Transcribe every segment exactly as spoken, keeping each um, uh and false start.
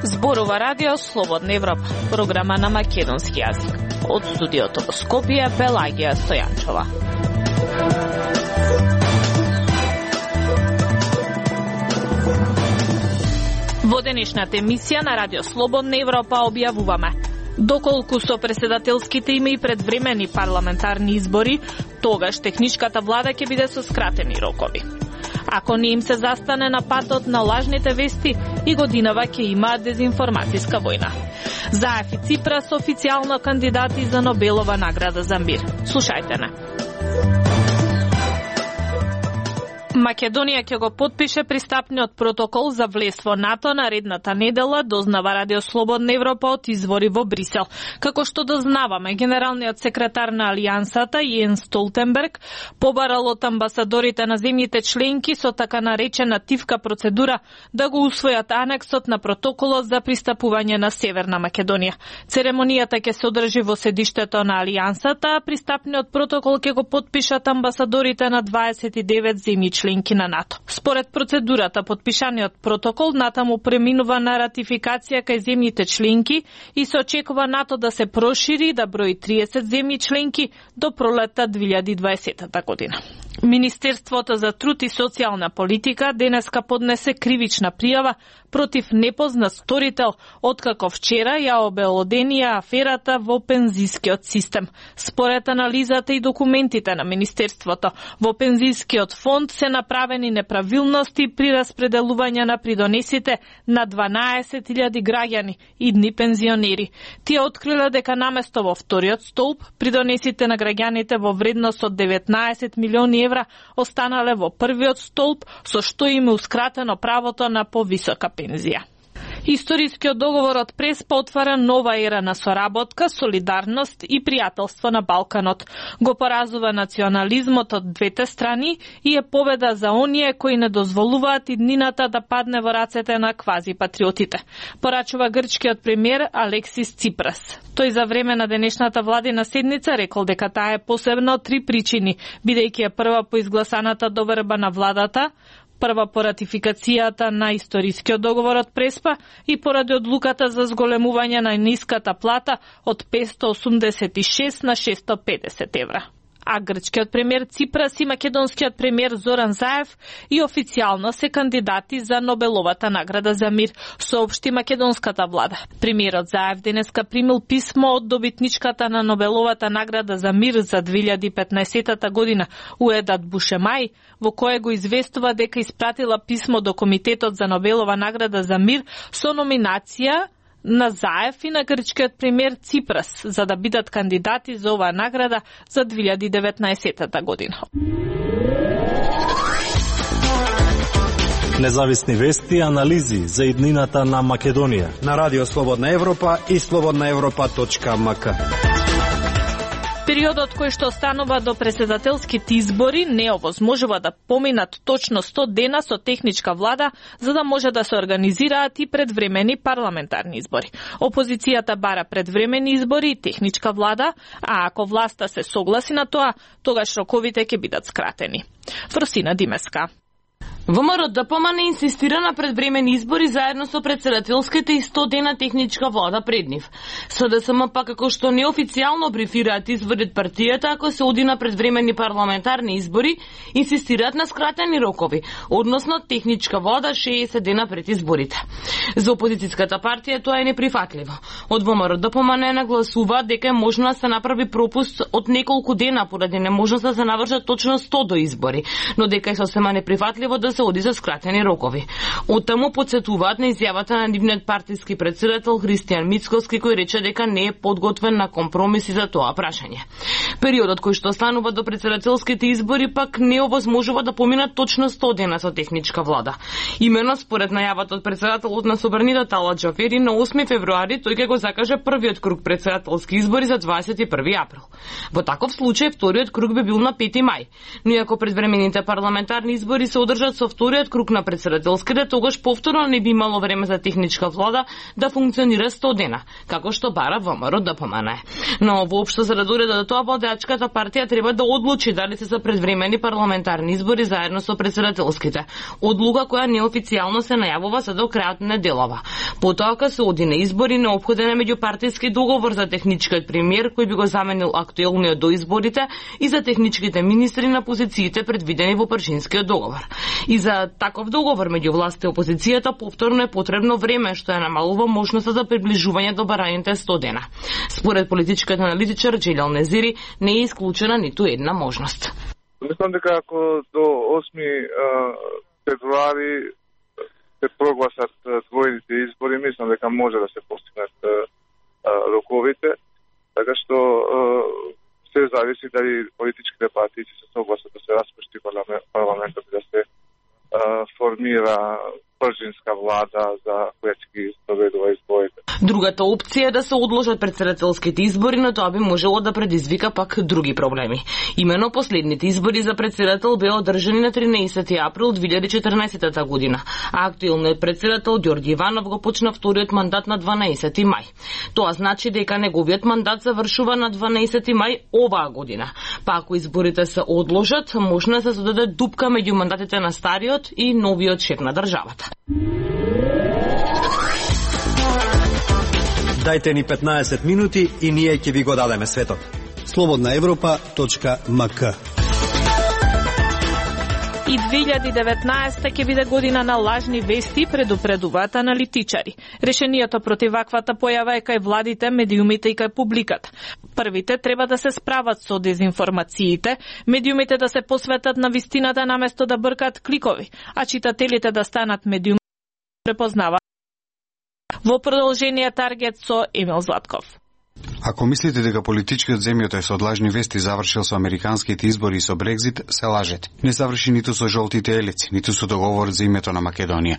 Зборува радио Слободна Европа, програма на македонски јазик. Од студиото во Скопје, Пелагија Стојанчова. Во денешната емисија на радио Слободна Европа објавуваме доколку со преседателските име и предвремени парламентарни избори, тогаш техничката влада ќе биде со скратени рокови. Ако не им се застане на патот на лажните вести, и годинава ќе има дезинформацијска војна. Заев и Ципрас официјално кандидати за Нобелова награда за мир. Слушајте не. Македонија ќе го потпише пристапниот протокол за влез во НАТО наредната недела, дознава Радио Слободна Европа од извори во Брисел. Како што дознаваме, генералниот секретар на Алијансата Јенс Столтенберг побарал од амбасадорите на земјите членки со така наречена тивка процедура да го усвојат анексот на протоколот за пристапување на Северна Македонија. Церемонијата ќе се одржи во седиштето на Алијансата, а пристапниот протокол ќе го потпишат амбасадорите на дваесет и девет земји членки на НАТО. Според процедурата, потпишаниот протокол натаму преминува на ратификација кај земјите членки и се очекува НАТО да се прошири да брои триесет земји членки до пролетта две илјади и дваесета година. Министерството за труд и социјална политика денеска поднесе кривична пријава против непознат сторител, откако вчера ја обелоденија аферата во пензискиот систем. Според анализата и документите на Министерството, во пензискиот фонд се направени неправилности при распределување на придонесите на дванаесет илјади граѓани, идни пензионери. Тие откриле дека наместо во вториот столб, придонесите на граѓаните во вредност од деветнаесет милиони евра останале во првиот столб, со што им еускратено правото на повисока пензија. Историскиот договор од Преспа отвара нова ера на соработка, солидарност и пријателство на Балканот. Го поразува национализмот од двете страни и е победа за оние кои не дозволуваат иднината да падне во рацете на квази-патриотите. Порачува грчкиот премиер Алексис Ципрас. Тој за време на денешната владина седница рекол дека таа е посебна од три причини, бидејќи е прва по изгласаната доверба на владата, прва по ратификацијата на историскиот договор од Преспа и поради одлуката за зголемување на ниската плата од петстотини осумдесет и шест на шестстотини и педесет евра. А грчкиот премиер Ципрас и македонскиот премиер Зоран Заев и официјално се кандидати за Нобеловата награда за мир, соопшти македонската влада. Премиерот Заев денеска примил писмо од добитничката на Нобеловата награда за мир за две илјади и петнаесета година, Уедат Бушемај, во кое го известува дека испратила писмо до Комитетот за Нобелова награда за мир со номинација на Заев и на грчкиот премиер Ципрас за да бидат кандидати за оваа награда за две илјади и деветнаесета година. Независни вести и анализи за иднината на Македонија на Радио Слободна Европа и слободна европа точка ем ка. Периодот кој што останува до председателските избори не овозможува да поминат точно сто дена со техничка влада за да може да се организираат и предвремени парламентарни избори. Опозицијата бара предвремени избори и техничка влада, а ако власта се согласи на тоа, тогаш роковите ќе бидат скратени. Фросина Димеска. ВМРО ДПМН не инсистира на предвремени избори заедно со председателските и сто дена техничка влада пред нив. СДСМ пак како што неофицијално брифираат изводит партијата ако се оди на предвремени парламентарни избори, инсистираат на скратени рокови, односно техничка влада шеесет дена пред изборите. За опозицијската партија тоа е неприфатливо. Од ВМРО ДПМН нагласуваат дека е можно да се направи пропуст од неколку дена поради неможност да се навршат точно сто до избори, но дека е сосема неприфатливо да се оди за скратени рокови. Оттаму подсетуваат на изјавата на нивниот партиски претседател Христијан Мицкоски, кој рече дека не е подготвен на компромиси за тоа прашање. Периодот кој што останува до председателските избори пак не овозможува да поминат точно сто дена со техничка влада. Имено според најавата од претседателот на Собранида Талат Џафери на осми февруари тој ќе го закаже првиот круг претседателски избори за дваесет и први април. Во таков случај вториот круг би бил на пети мај, но и ако предвремените парламентарни избори се одржат со вториот круг на претседателските, тогаш повторно не би имало време за техничка влада да функционира сто дена, како што бара ВМРО ДПМН. Но воопшто за да дојде до тоа, водачката партија треба да одлучи дали се за предвремени парламентарни избори заедно со претседателските. Одлука која неофицијално се најавува за до крајот на неделава. Потоа кога се оди на избори, неопходен е меѓупартиски договор за техничкиот премиер кој би го заменил актуелниот до изборите и за техничките министри на позициите предвидени во пршинскиот договор. И за таков договор меѓу власта и опозицијата повторно е потребно време, што ја намалува можноста за приближување до бараните сто дена. Според политичкиот аналитичар Джелел Незири, не е исклучена ниту една можност. Мислам дека ако до осми февруари се прогласат двојните избори, мислам дека може да се постигнат роковите, така што се зависи дали политичките партии се согласат да се распушти парламентот и да се формира пржинска влада за која ќе ги спроведува изборите. Другата опција е да се одложат претседателските избори, но тоа би можело да предизвика пак други проблеми. Имено последните избори за претседател беа одржани на тринаесети април две илјади и четрнаесетта година, а актуелниот претседател Ѓорѓи Иванов го почна вториот мандат на дванаесети мај. Тоа значи дека неговиот мандат завршува на дванаесети мај оваа година. Па ако изборите се одложат, можно да се создаде дупка меѓу мандатите на стариот и новиот шеф на државата. Дајте ни петнаесет минути и ние ќе ви го дадеме светот. слободна европа точка ем ка. И две илјади и деветнаесетта ќе биде година на лажни вести, предупредуваат аналитичари. Решението против ваквата појава е кај владите, медиумите и кај публиката. Првите треба да се справат со дезинформациите, медиумите да се посветат на вистината наместо да бркаат кликови, а читателите да станат медиуми препознава. Во продолжение таргет со Емил Златков. Ако мислите дека политичкиот земјота е со лажни вести завршил со американските избори и со Брекзит, се лажете. Не заврши ниту со жолтите елици, ниту со договор за името на Македонија.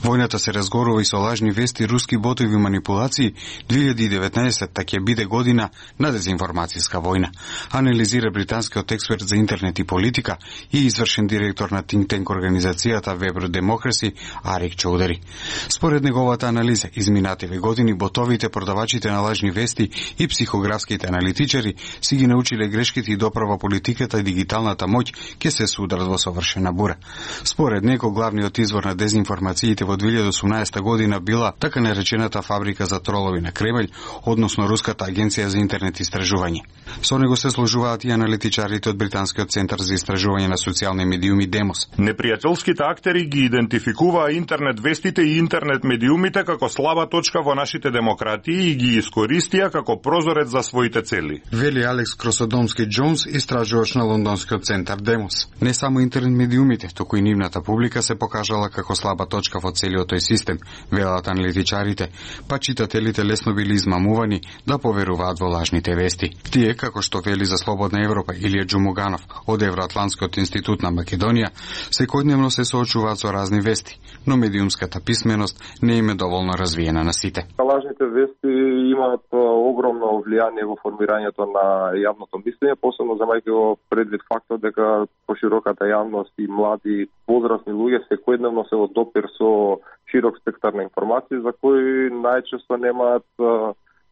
Војната се разгорува и со лажни вести, руски ботови манипулации. две илјади и деветнаесетта ќе биде година на дезинформацијска војна, анализира британскиот експерт за интернет и политика и извршен директор на think tank организацијата Web Democracy Арик Чоудари. Според неговата анализа, изминативе години ботовите, продавачите на лажни вести и психографските аналитичари си ги научиле грешките и доправа политиката и дигиталната моќ ќе се судрат во совршена бура. Според него, главниот извор на дезинформациите во две илјади и осумнаесетта година била така наречената фабрика за тролови на Кремљ, односно Руската агенција за интернет истражување. Со него се сложуваат и аналитичарите од Британскиот центар за истражување на социјални медиуми Демос. Непријателските актери ги идентификуваа интернет вестите и интернет медиумите како слаба точка во нашите демократии и ги искористија како прозорец за своите цели. Вели Алекс Кросодомски Джонс, истражувач на лондонскиот центар Демос. Не само интернет медиумите, туку и нивната публика се покажала како слаба точка во целиот тој систем, велат аналитичарите, па читателите лесно били измамувани да поверуваат во лажните вести. Тие, како што вели за Слободна Европа Илија Џумуганов од Евроатлантскиот институт на Македонија, секојдневно се соочуваат со разни вести, но медиумската писменост не им е доволно развиена на сите. Лажните вести имаат огромно влијание во формирањето на јавното мислење, посебно замајќи го предвид фактот дека пошироката јавност и млади возрастни луѓе секојдневно се во допир со широк спектар на информации за кои најчесто немаат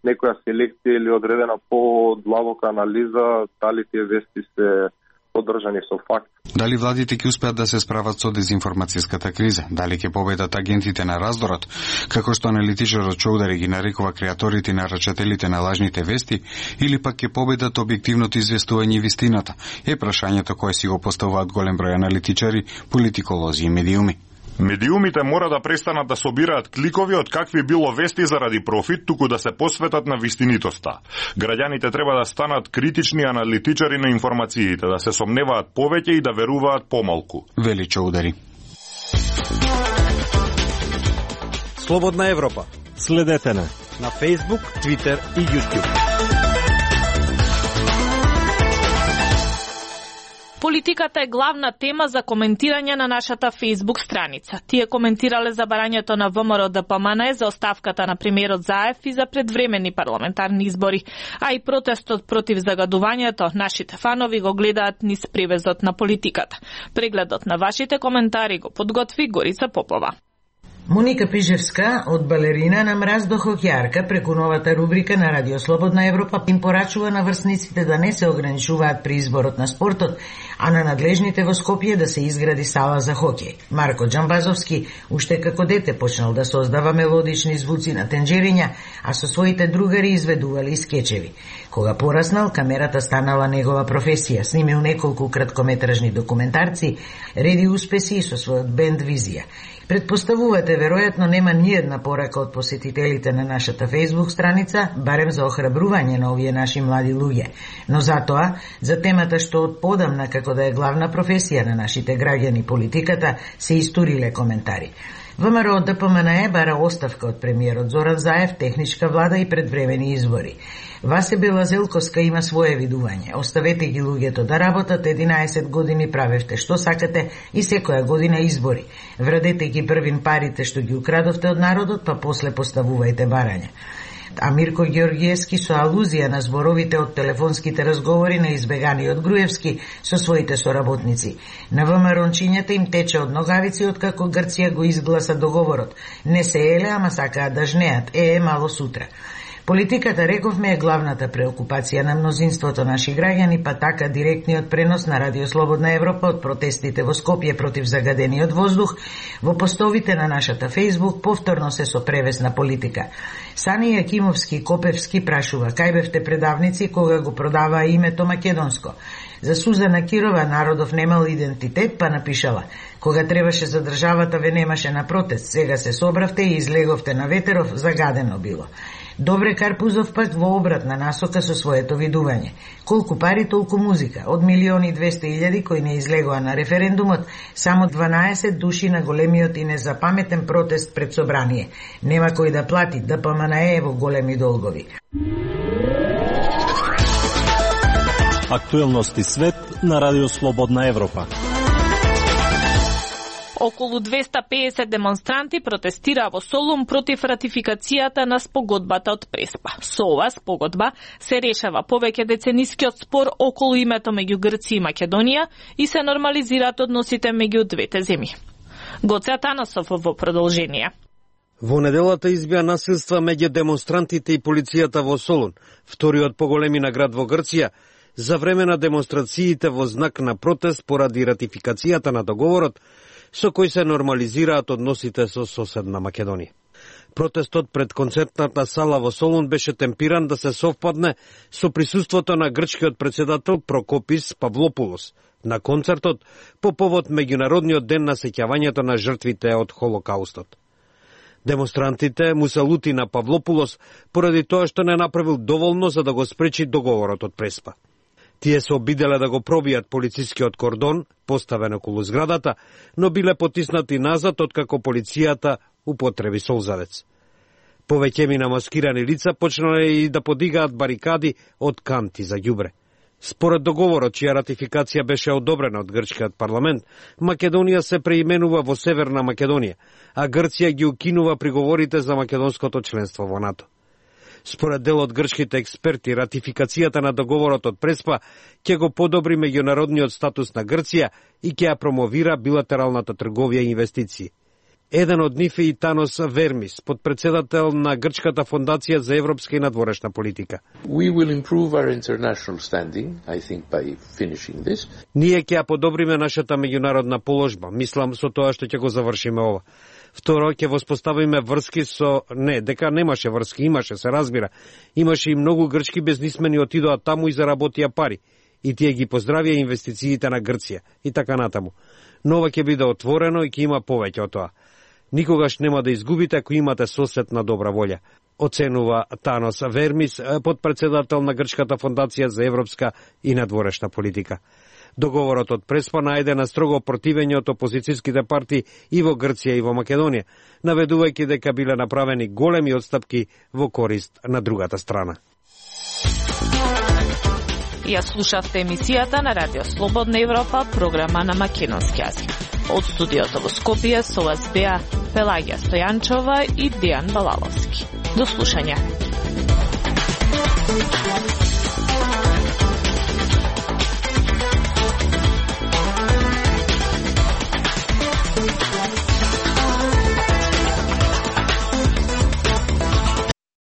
некоја селекција или одредена подлабока анализа дали тие вести се поддржани со факт. Дали владите ќе успеат да се справат со дезинформацијската криза? Дали ќе победат агентите на раздорот? Како што аналитичарот Чоудари ги нарекува креаторите и нарачателите на лажните вести, или пак ќе победат објективното известување и вистината? Е прашањето кое си го поставуваат голем број аналитичари, политиколози и медиуми. Медиумите мора да престанат да собираат кликови од какви било вести заради профит, туку да се посветат на вистинитоста. Граѓаните треба да станат критични аналитичари на информациите, да се сомневаат повеќе и да веруваат помалку. Вели Чоудари. Слободна Европа. Следете на на Facebook, Twitter и YouTube. Политиката е главна тема за коментирање на нашата Facebook страница. Тие коментирале за барањето на ВМРО Д П М Н за оставката на премиерот Заев и за предвремени парламентарни избори, а и протестот против загадувањето. Нашите фанови го гледаат низ привезот на политиката. Прегледот на вашите коментари го подготви Горица Попова. Моника Пижевска, од балерина на мраз до хокејарка, преку новата рубрика на Радио Слободна Европа им порачува на врсниците да не се ограничуваат при изборот на спортот, а на надлежните во Скопје да се изгради сала за хокеј. Марко Џамбазовски уште како дете почнал да создава мелодични звуци на тенџериња, а со своите другари изведували и скечеви. Кога пораснал, камерата станала негова професија. Снимил неколку краткометражни документарци, реди успеси со својот бенд Визија. Предпоставувате, веројатно нема ниедна порака од посетителите на нашата Facebook страница, барем за охрабрување на овие наши млади луѓе. Но затоа, за темата што од подамна како да е главна професија на нашите граѓани политиката, се истуриле коментари. ВМРО Д П М Н бара оставка од премиерот Зоран Заев, техничка влада и предвремени избори. Васе Белазелковска има свое видување. Оставете ги луѓето да работат, единаесет години правевте што сакате и секоја година избори. Врадете ги првин парите што ги украдовте од народот, па после поставувајте барања. А Мирко Георгиевски со алузија на зборовите од телефонските разговори на избеганиот Груевски со своите соработници. На ВМРО-нчињата им тече од ногавици откако Грција го изгласа договорот. Не се еле, ама сакаат да жнеат. Е, е, мало сутра. Политиката, рековме, е главната преокупација на мнозинството наши граѓани, па така директниот пренос на Радио Слободна Европа од протестите во Скопје против загадениот воздух во постовите на нашата Facebook повторно се со превес на политика. Сани Јакимовски Копевски прашува: кај бевте предавници кога го продаваа името Македонско? За Сузана Кирова народов немал идентитет, па напишала: кога требаше за државата ве немаше на протест, сега се собравте и излеговте на ветеров, загадено било. Добре Карпузов пак во обратна насока со своето видување. Колку пари, толку музика. Од милиони и двесте илјади кои не излегоа на референдумот, само дванаесет души на големиот и незапаметен протест пред собрание. Нема кој да плати, Д П М Н е во големи долгови. Актуелности свет на Радио Слободна Европа. Околу двеста пеесет демонстранти протестираа во Солун против ратификацијата на спогодбата од Преспа. Со ова спогодба се решава повеќе деценискиот спор околу името меѓу Грција и Македонија и се нормализираат односите меѓу двете земји. Гоце Атанасов во продолжение. Во неделата избија насилства меѓу демонстрантите и полицијата во Солун, вториот поголемина град во Грција, за време на демонстрациите во знак на протест поради ратификацијата на договорот со кој се нормализираат односите со соседна Македонија. Протестот пред концертната сала во Солун беше темпиран да се совпадне со присуството на грчкиот председател Прокопис Павлопулос на концертот по повод Меѓународниот ден на сеќавањето на жртвите од Холокаустот. Демонстрантите му се лути на Павлопулос поради тоа што не направил доволно за да го спречи договорот од Преспа. Тие се обиделе да го пробијат полицискиот кордон, поставен околу зградата, но биле потиснати назад откако полицијата употреби солзавец. Повеќе мина маскирани лица почнале и да подигаат барикади од канти за ѓубре. Според договорот, чија ратификација беше одобрена од грчкиот парламент, Македонија се преименува во Северна Македонија, а Грција ги укинува приговорите за македонското членство во НАТО. Според дел од грчките експерти, ратификацијата на договорот од Преспа ќе го подобри меѓународниот статус на Грција и ќе ја промовира билатералната трговија и инвестиции. Еден од нив е и Танос Вермис, подпредседател на Грчката фондација за европска и надворешна политика. We will improve our international standing, I think, by finishing this. Ние ќе ја подобриме нашата меѓународна положба, мислам со тоа што ќе го завршиме ова. Второ, ќе воспоставиме врски со... Не, дека немаше врски, имаше, се разбира. Имаше и многу грчки бизнисмени отидоа таму и заработија пари. И тие ги поздравија инвестициите на Грција и така натаму. Но ова ќе биде отворено и ќе има повеќе од тоа. Никогаш нема да изгубите ако имате сосед на добра волја, оценува Танос Вермис, подпредседател на Грчката фондација за европска и надворешна политика. Договорот од Преспа најде на строго противење од опозицијските партии и во Грција и во Македонија, наведувајќи дека биле направени големи отстапки во корист на другата страна. Ја слушавте емисијата на Радио Слободна Европа, програма на македонски јазик. Од студиото во Скопје со вас беа Пелагија Стојанчова и Дејан Балаловски. До слушање.